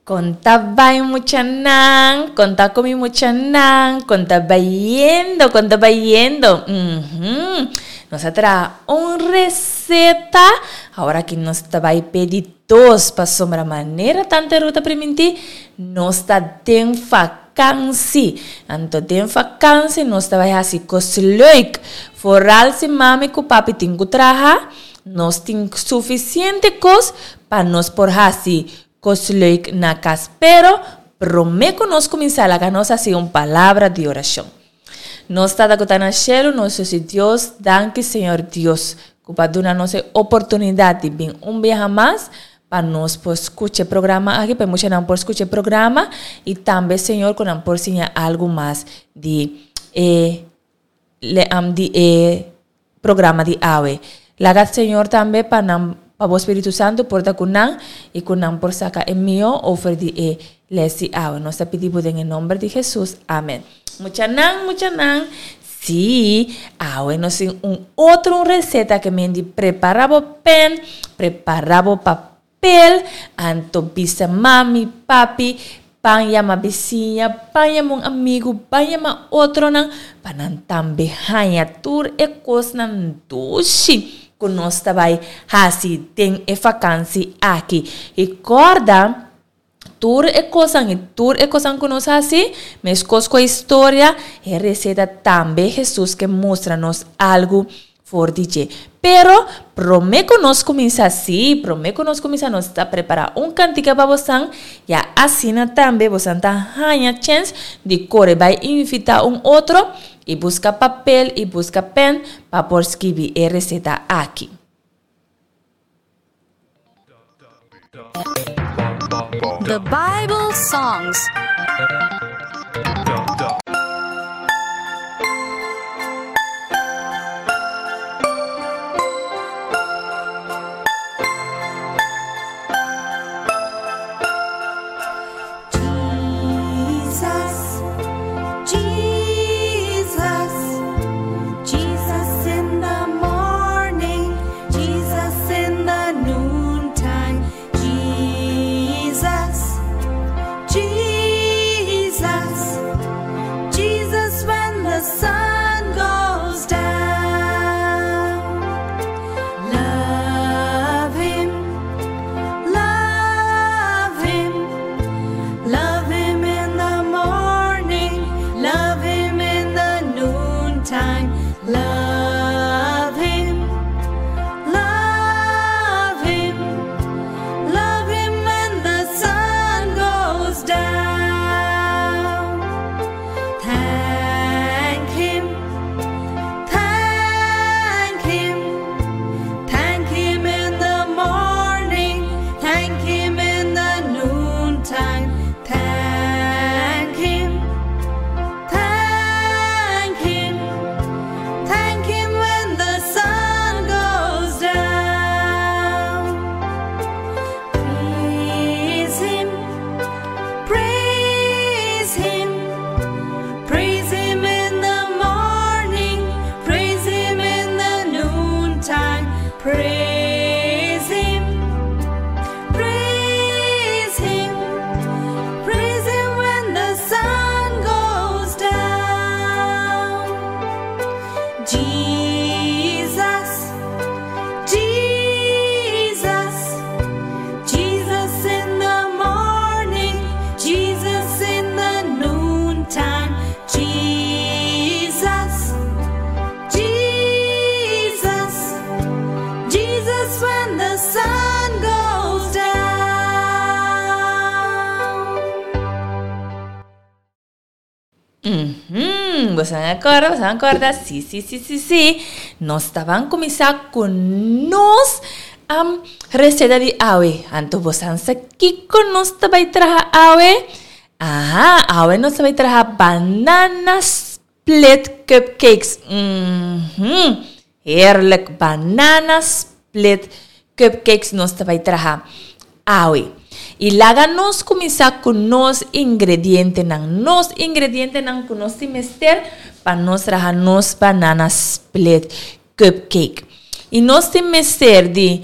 Kon ta bai muchanan? Kon ta ku mi muchanan? Kon ta bayendo? Kon ta bayendo? Uhum. Nos a traha un receta. Awor aki nos ta bai pedi dos pasobra manera Tante Ruth a primintí, nos ta den vakansi. Anto den vakansi nos ta bai hasi kos leuk. Foral si mami ku papi tin ku traha, nos tin sufisiente kos pa nos por hasi Kos leuk na kas pero prome ku nos kuminsá laga nos hasi un palabra di orashon. Nos Tata ku ta na shelu nos Dios i Dios danki Señor Dios ku bo a duna nos e oportunidat di bin un biaha mas pa nos por skucha e programa aki pa e muchanan por skucha e programa i tambe Señor ku nan por siña algu mas di e di e programa di awe. Laga Señor tambe pa nan pa bo Spiritu Santu por ta ku nan i ku nan por saka e mihó ofer di e les di awe. Nos ta pidi bo den e nomber di Jesus. Amen. Muchanan, muchanan, sí, awe nos tin un otro un receta ke men di prepara bo pen, prepara bo papel. Pel, anto bisa mami, papi, ban yama bisiña, ban yama un amigu, ban yama otronan, pa nan tambe haña tur e kosnan dushi ku nos ta bai hasi den e fakansi aki. I kòrda, tur e kosnan i tur e kosnan ku nos hasi, meskos ku e historia, e reseta tambe Hesus ke mustra nos algu For di dje. Pero, promé ku nos kuminsá, sí, promé ku nos kuminsá nos ta prepará un kantika pa bosan, ya asina tambe bosan ta haña chèns di kore bai invitá un otro i buska papel i buska pèn pa por skibi e reseta aki. The Bible Songs. Jesus, Jesus, Jesus in the morning, Jesus in the noontime, Jesus, Jesus, Jesus when the sun goes down. Love him, love him, love him in the morning, love him in the noontime, love him, love him, love him when the sun goes down. Thank him, thank him, thank him in the morning, thank him in the noontime, thank him, thank him, thank him when the sun goes down. Praise him, praise him, praise him in the morning, praise him in the noontime, praise him, praise him, praise him when the sun goes down. Jesus, Jesus, Jesus in the morning, Jesus in the noontime, Jesus, Jesus, Jesus when the sun goes down. Uhum, boso a corda, boso a corda, sí, sí, sí, sí, sí. Nos ta ban cuminsa cu nos am receta di awe. Anto boso a sa kico nos ta bay traha awe? Aha, awe nos ta bay traha banana split cupcakes. Uhum, heerlijk, banana split cupcakes nos ta bai traha awe. I laga nos kuminsá ku nos ingredientenan. Nos ingredientenan ku nos tin mester pa nos traha nos banana split cupcake. I nos tin mester di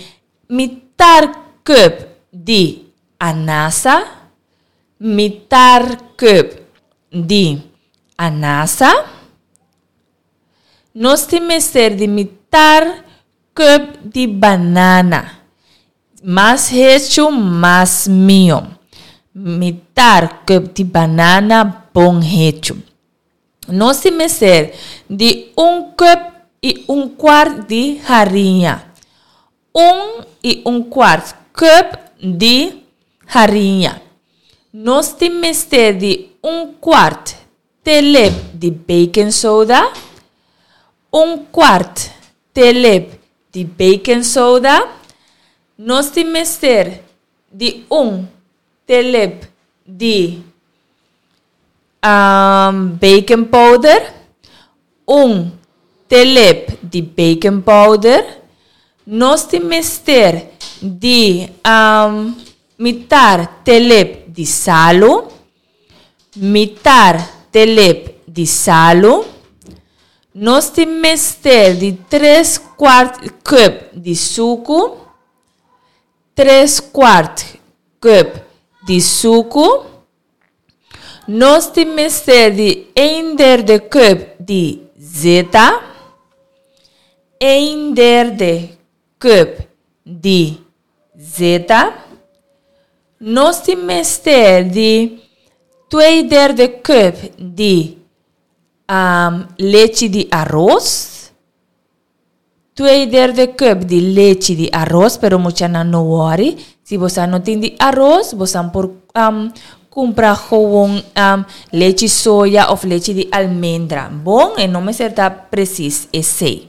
mitar cup di anasa. Mitar cup di anasa. Nos tin mester di mitar cup di banana. Mas hechu, mas mihó. Mitar cup di banana bon hechu. Nos tin mester di un cup i un cuart di hariña. Un i un cuart cup di hariña. Nos tin mester di un cuart telep di baking soda, un cuart telep di baking soda. Nos tin mester di un telep di baking powder, un telep di baking powder. Nos tin mester di mitar telep di salu. Mitar telep di salu. Nos tin mester di tres kwart cup di suku. Tres kwart cup di suku. Nos tin mester di een derde cup di zeta. Een derde cup di zeta. Nos tin mester di twee derde cup di lechi di aros. Twee derde cup di lechi di aros, pero muchanan no worry. Si bosan no tin di aros, bosan por cumpra gewoon lechi soya of lechi di almendra. Bon, e no mester ta precies esey.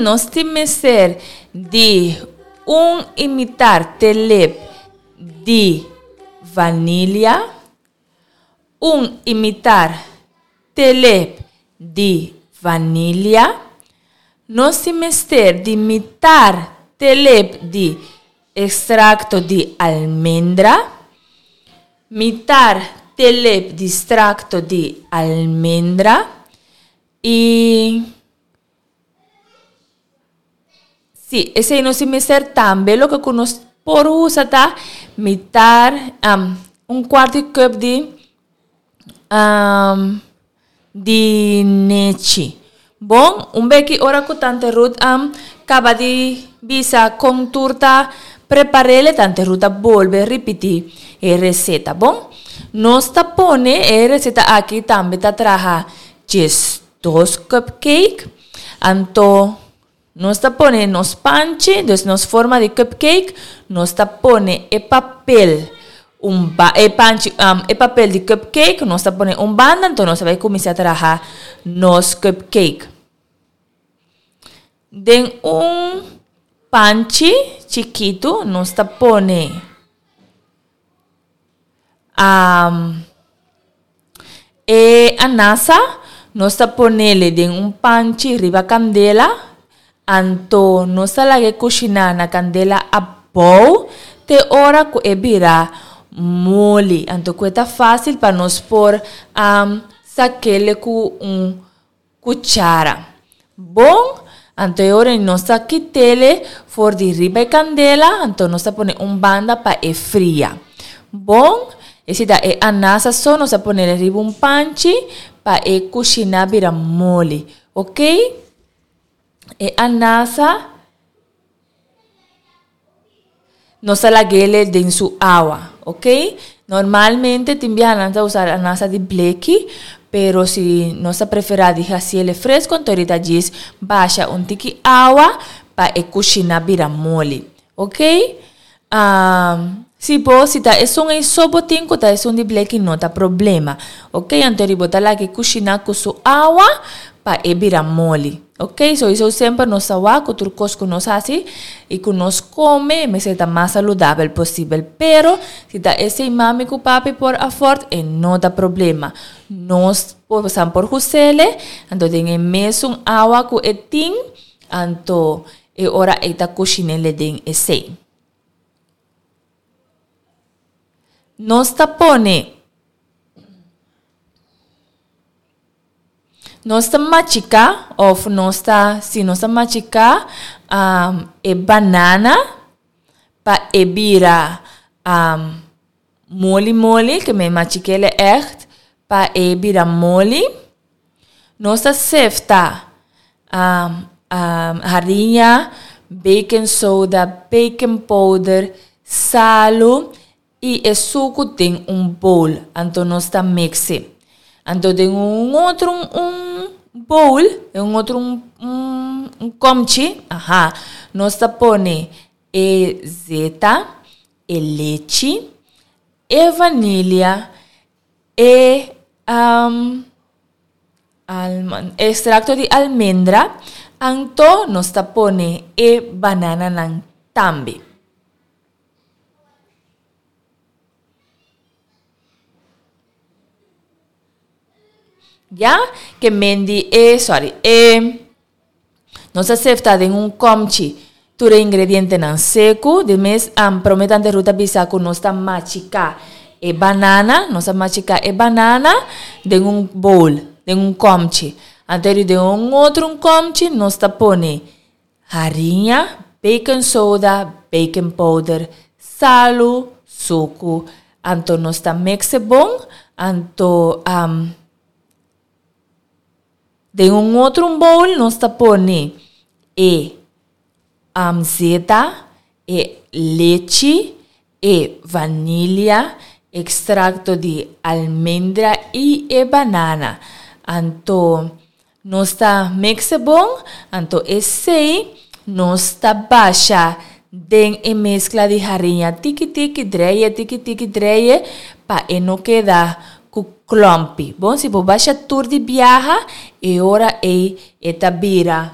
Nos tin mester di un imitar telep di vanilia, un imitar telep di vanilia. Nos tin mester di mitar telep di Ekstrakto di almendra, mitar telep di strakto di almendra i si esei nos tin mester tambe loke ku nos por usa ta mitar un kuart di cup di di nechi. Bon, un beki ora ku Tante Ruth a kaba di bisa kon tur ta prepar'el, Tante Ruth a bolbe ripití e reseta. Bon, nos ta pone e reseta aki tambe ta traha djesdos cupcake. Anto nos ta pone nos panchi, dus nos forma di cupcake, nos ta pone e papel un ba e panchi e papel di cupcake nos ta pone un banda, anto nos ta bai cuminsa traha nos cupcake. Den un panchi chikitu nos ta pone E anasa nos ta ponele den un panchi riba kandela, anto nos ta laga e kushiná na kandela abou te ora ku e bira moli. Anto ku e ta fásil pa nos por sak'é ku un Cuchara. Bon, anto e ora nos ta kitele for di riba e candela, anto nos ta pone un banda pa e fria. Bon, esi ta e anasa so, nos ta ponele riba un panchi pa e cushina bira moli. Ok? E anasa Nos ta lag'ele den su awa, ok? Normalmente tin biaha nan ta usa anasa di bleki, pero si nos ta prefera di haciele fresco, anto rita djis basha un tiki awa pa e cushina bira moli, ok? Si bo, si ta esun ei so bo tin cu ta esun di bleki no ta problema, ok? Anto ri bo ta laga e cushina cu su awa pa e bira moli. Ok, soiso semper nos ta wak ku tur kos ku nos hasi i ku nos kome mester ta mas saludabel posibel. Pero si ta esei mami ku papi por afòrt e no ta problema. Nos por san por husele, anto den e mesun awa ku e tin, anto. E ora ei ta kushin'é den esei. Nos ta pone Nos ta machiká òf nos ta, si nos ta machiká e banana pa e bira moli moli, ke men machik'é ègt pa e bira moli. Nos ta sefta hariña, baking soda, baking powder, salu i e suku den un bowl. Anto nos ta mix e. Anto den un otro un bowl, den un otro un komchi, aha, nos ta pone e zeta, e lechi, e vanilia, e extracto di almendra, anto nos ta pone e banananan tambe. Ya, ke men di e, sorry, e, nos a sefta den un komchi tur e ingredientenan seku. Di mes am prome tante Ruth a bisa ku nos ta machiká e banana, nos a machiká e banana den un bowl, den un komchi. Anto di den un otro un komchi nos ta pone hariña, baking soda, baking powder, salu, suku. Anto nos ta mix e bon, anto den un otro un bowl nos ta pone e zeta, e lechi, e vanilia, extracto di almendra y e banana. Anto nos ta mix e bon, anto esey nos ta basha den e mezcla di hariña tiki tiki dreye, tiki tiki dreye pa e no keda ku klòmpi. Bon, si bo basha tur di biaha, e ora ei e ta bira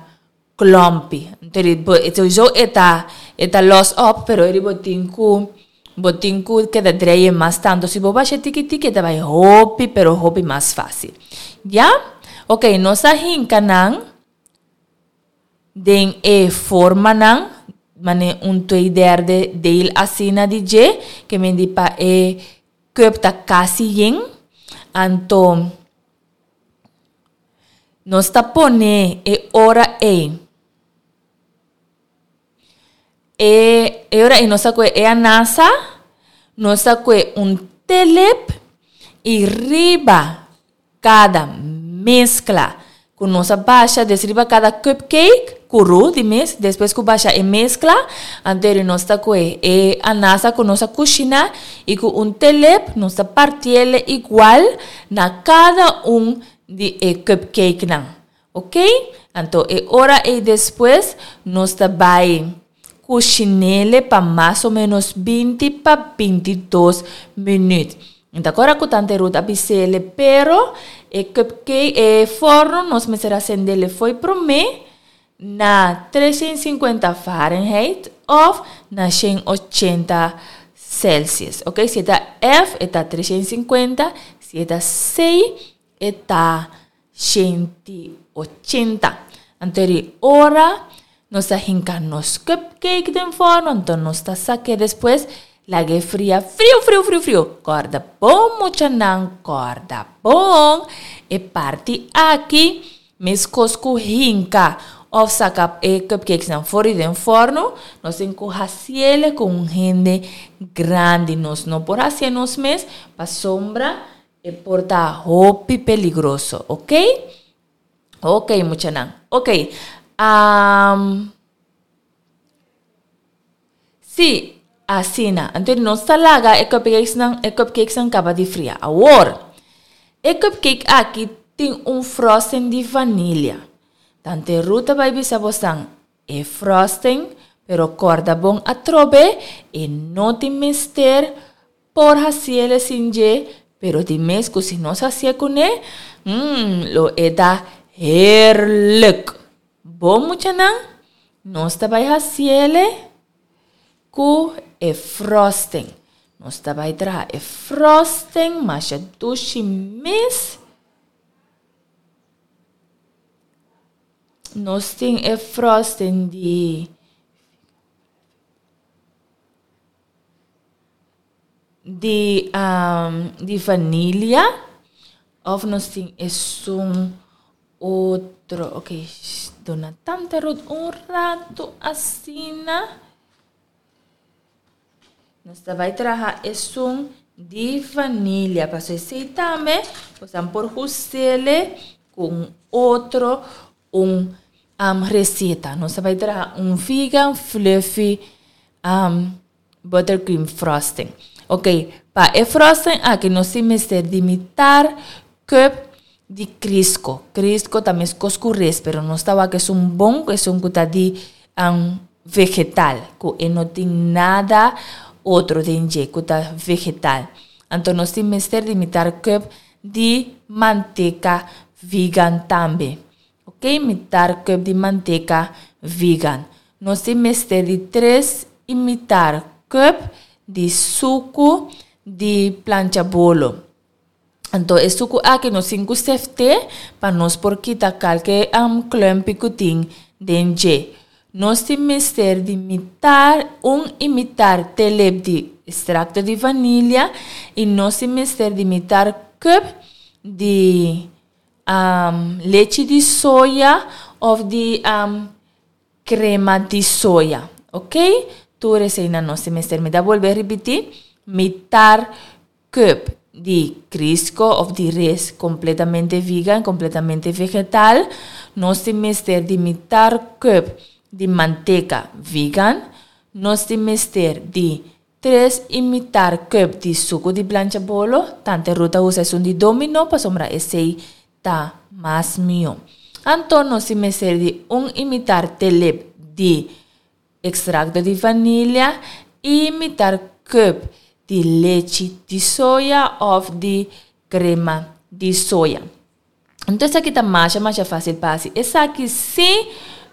klòmpi. Anto di bo sowieso e ta e ta lòs òp, pero eri bo tin ku bo tin ku keda dreye mas tantu. Si bo basha tiki tiki e ta bai hopi pero hopi mas fásil. Ya? Oké, nos a hinka nan den e formanan manera un twee derde deel asina di dje, ke men di pa e Cup ta casi yen, anto nos ta pone e ora ey, e e ora ey nos ta coge e anasa, nos ta coge un telep y riba Kada meskla ku nos a basha des riba kada cupcake ku ru di mes, despues ku basha e meskla, anto eri nos ta kohe e anasa ku nos a kushiná i ku un telep nos ta partiele igual na kada un di e cupcakenan. Ok, anto e ora ei despues nos ta bai kushinele pa mas o menos 20 pa 22 minuut. Mi ta kora ku tante Ruth a bisele, pero e cupcake, e forno nos mester a sendele fo'i promé na 350 Fahrenheit of na 180 Celsius. Ok, si e ta F e ta 350, si e ta C e ta 180. Anto eri ora nos ta hinka nos cupcake den forno, anto nos ta sak'é despues, lag'é fria friu friu friu friu. Kòrda bon muchanan, kòrda bon! E parti aki, meskos ku hinka òf saka e cupcakesnan for di den forno, nos tin ku hasiel ku un hende grandi. Nos no por hasié nos mes pasobra E por ta hopi peligroso, ok? Ok, muchanan. Ok. Um, sí, asina. Anto nos ta laga e cupcakesnan, e cupcakesnan kaba di fria. Awor, e cupcake aki tin un frosting di vanilia. Tante Ruth ta bai bisa bosan, E frosting, pero corda bon atrobe, e no tin mester por haciele sin dje, pero di mes cu si nos hacié cune, mm, lo e ta heerlijk. Bon muchanan, nos ta bay haciele cu e frosting. Nos ta bay traha e frosting masha dushi mes. Nos tin e frosting di di di vanilia of nos tin esun otro. Ok, duna tanta Ruth un rato asina. Nos ta bai traha esun di vanilia pasobra esei tambe bosan por husele ku un otro un reseta. Nos ta bai traha un vegan fluffy buttercream frosting. Ok, pa e frosting aki nos tin mester di mitar cup di Crisco. Crisco ta meskos ku res, pero nos ta wak esun bon, esun ku ta di vegetal, ku e no tin nada otro den dje, ku ta vegetal. Anto nos tin mester di mitar cup di manteka vegan tambe. Ok, mitar cup di manteka vegan. Nos tin mester di tres i mitar cup di suku di plancha bolo. Anto e suku aki nos tin ku seft'é pa nos por kita kalke klumpi ku tin den dje. Nos tin mester di mitar un i mitar telep di ekstrakto di vanilia i nos tin mester di mitar cup di lechi di soya of di Crema di soya. Ok, tur eseinan nos tin mester. Mi ta bolbe ripiti, mitar cup di Crisco of di res completamente vegan, completamente vegetal. Nos tin mester di mitar cup di manteca vegan. Nos tin mester di tres y mitar cup di sucu di plancha bolo. Tante Ruth ta usa esun di Domino pasobra esey ta mas mihó. Anto nos tin mester di un y mitar telep di ekstrakto di vanilia y mitar cup di lechi di soya of di krema di soya. Anto esaki ta masha masha fácil pa hasi. Esaki si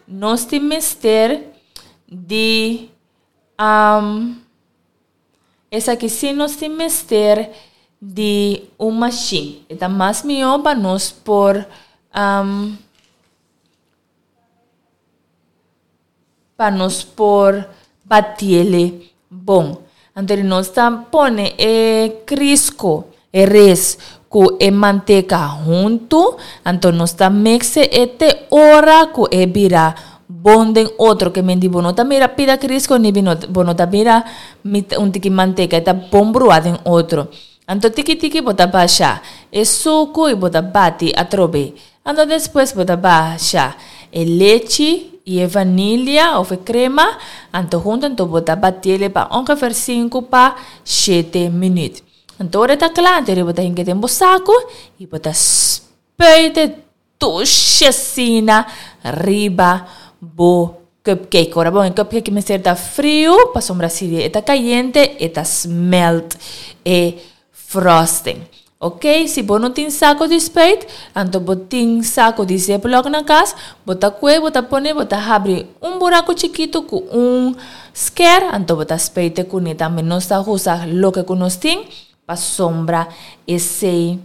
nos tin mester di Esaki si nos tin mester di un mashin. E ta mas mihó pa nos por pa nos por batiele bon. Anto di nos ta pone e crisco, e res cu e manteca hunto, anto nos ta mixe e te ora cu e bira bon den otro. Ke men di bo no ta mira pida crisco ni bo no ta mira un tiki manteca, e ta bon brua den otro. Anto tiki tiki bo ta basha e sucu y bo ta bati atrobe. Anto despues bo ta basha e lechi y e vanilia of e crema, anto hunto anto bo ta batiele pa ongeveer sinku pa shete minuut. Anto ora e ta kla, anto bo ta hinka den bo saku y bo ta spuite dushi asina riba bo cupcake. Ora bo e cupcake mester ta friu, pasobra si e ta kayente e ta smelt e frosting. Ok, si bo no tin saco di spuit, anto bo tin saco di ziploc na cas, bo ta cue, bo ta pone, bo ta habri un buraco chikito cu un sker, anto bo ta spuite cune tambe. Nos ta usa loke cu nos tin pasobra esey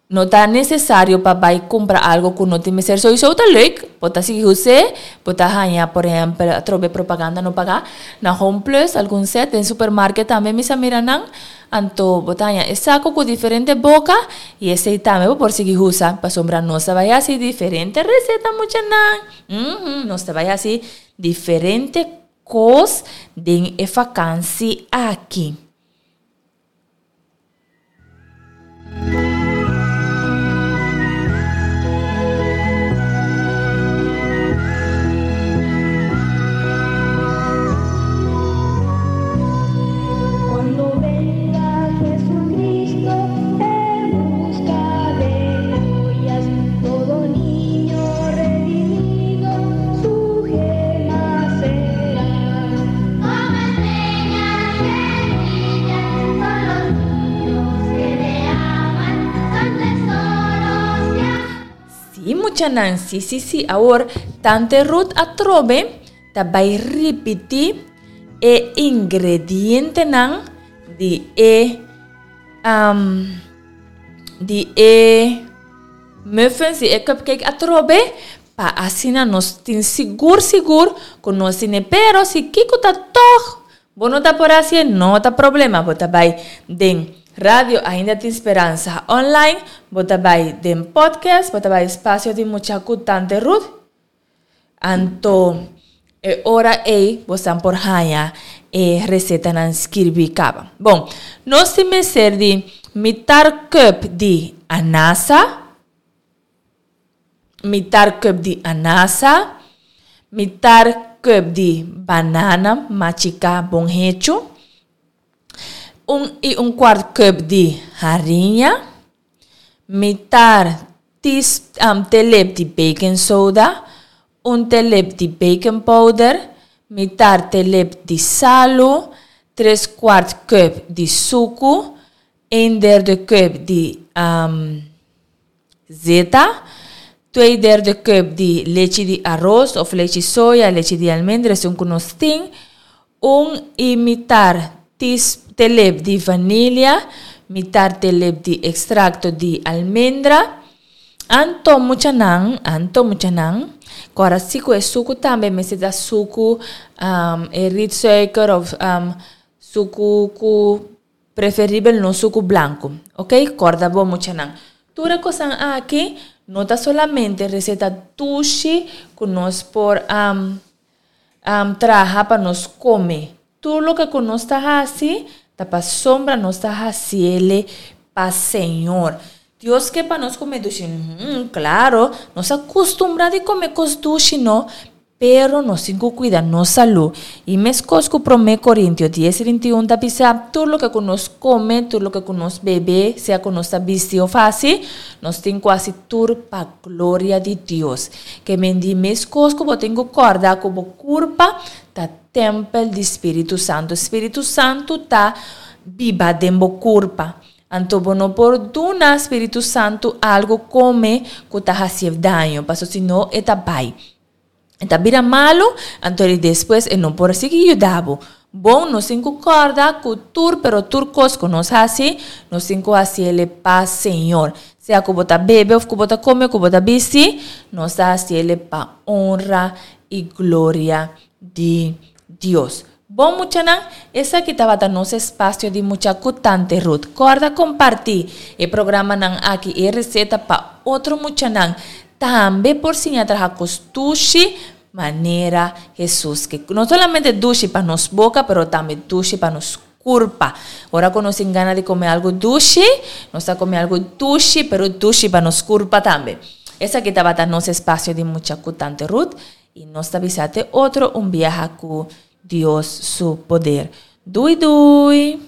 No ta necesario pa bay cumpra algo cu no tin mester. Sowieso ta leuk, bo ta sigui us'e, bo ta haña por ehempel atrobe propaganda no paga na Home Plus algun set, den supermarket tambe mi sa mira nan, anto bo ta haña e saco cu diferente boca y esey tambe bo por sigui usa pasobra nos ta bay haci diferente receta muchanan, nos ta bay haci diferente cos den e vakantie aki. Sí, muchanan, sí, sí, sí. Awor, Tante Ruth atrobe ta bai ripití e ingredientenan di e, di e. muffins i e cupcake atrobe pa asina nos tin sigur sigur ku nos tine. Pero si kiko ta tòg bo no ta por hasié no ta problema bo ta bai den Radio Ainda Tin Speransa online, bo ta bai den podcast, bo ta bai Espacio di Mucha ku Tante Ruth. Anto e ora ei bosan por haña e resetanan skirbí kaba. Bon, nos tin mester di mitar cup di anasa, mitar cup di anasa, mitar cup di banana machiká bon hechu, un i un kuart cup di hariña, mitar tis telep di baking soda, un telep di baking powder, mitar telep di salu, tres kuart cup di suku, een derde cup di zeta, twee derde cup di lechi di aros of lechi soya, lechi di almendra, esun ku nos tin, un i mitar tis telep di vanilia, mitar telep di ekstrakto di almendra. Anto muchanan, anto muchanan, kòrda si ku e suku tambe mester ta suku e rietsuiker of suku ku preferibel no suku blanku, ok, kòrda bo muchanan. Tur e kosnan aki no ta solamente reseta dushi ku nos por traha pa nos kome. Tur loke ku nos ta hasi ta pasobra nos ta hasiele pa Señor. Dios ke pa nos kome dushi? Hum, klaro, nos a kustumbrá di kome kos dushi no, pero nos tin ku kuida nos salú. I meskos ku Promé Korintio dies 31 ta bisa, tur loke ku nos kome, tur loke ku nos bebe, sea ku nos ta bisti òf hasi, nos tin ku hasi tur pa gloria di Dios. Ke men di meskos ku bo tin ku kòrda ku bo kurpa ta Tempel di Spiritu Santu. Spiritu Santu ta biba den bo kurpa. Anto bo no por duna Spiritu Santu algu kome ku ta hasié daño, paso si no e ta bai. E ta bira malu, anto di despues e no por sigui yuda bo. Bon, nos tin ku kòrda ku tur pero tur kos ku nos hasi, nos tin ku hasiel pa Señor. Sea ku bo ta bebe òf ku bo ta kome, ku bo ta bisti, nos ta hasiel pa onra i gloria di Dios. Bon muchanan, esaki tabata nos espasio di mucha ku Tante Ruth. Kòrda kompartí e programanan aki e reseta pa otro muchanan tambe por siña traha kos dushi manera Hesus ke. No solamente dushi pa nos boka pero tambe dushi pa nos kurpa. Ora ku nos tin gana di kome algu dushi, nos ta kome algu dushi pero dushi pa nos kurpa tambe. Esaki tabata nos espasio di mucha ku Tante Ruth i nos ta bisa te otro un biaha ku Dios su poder. Dui dui!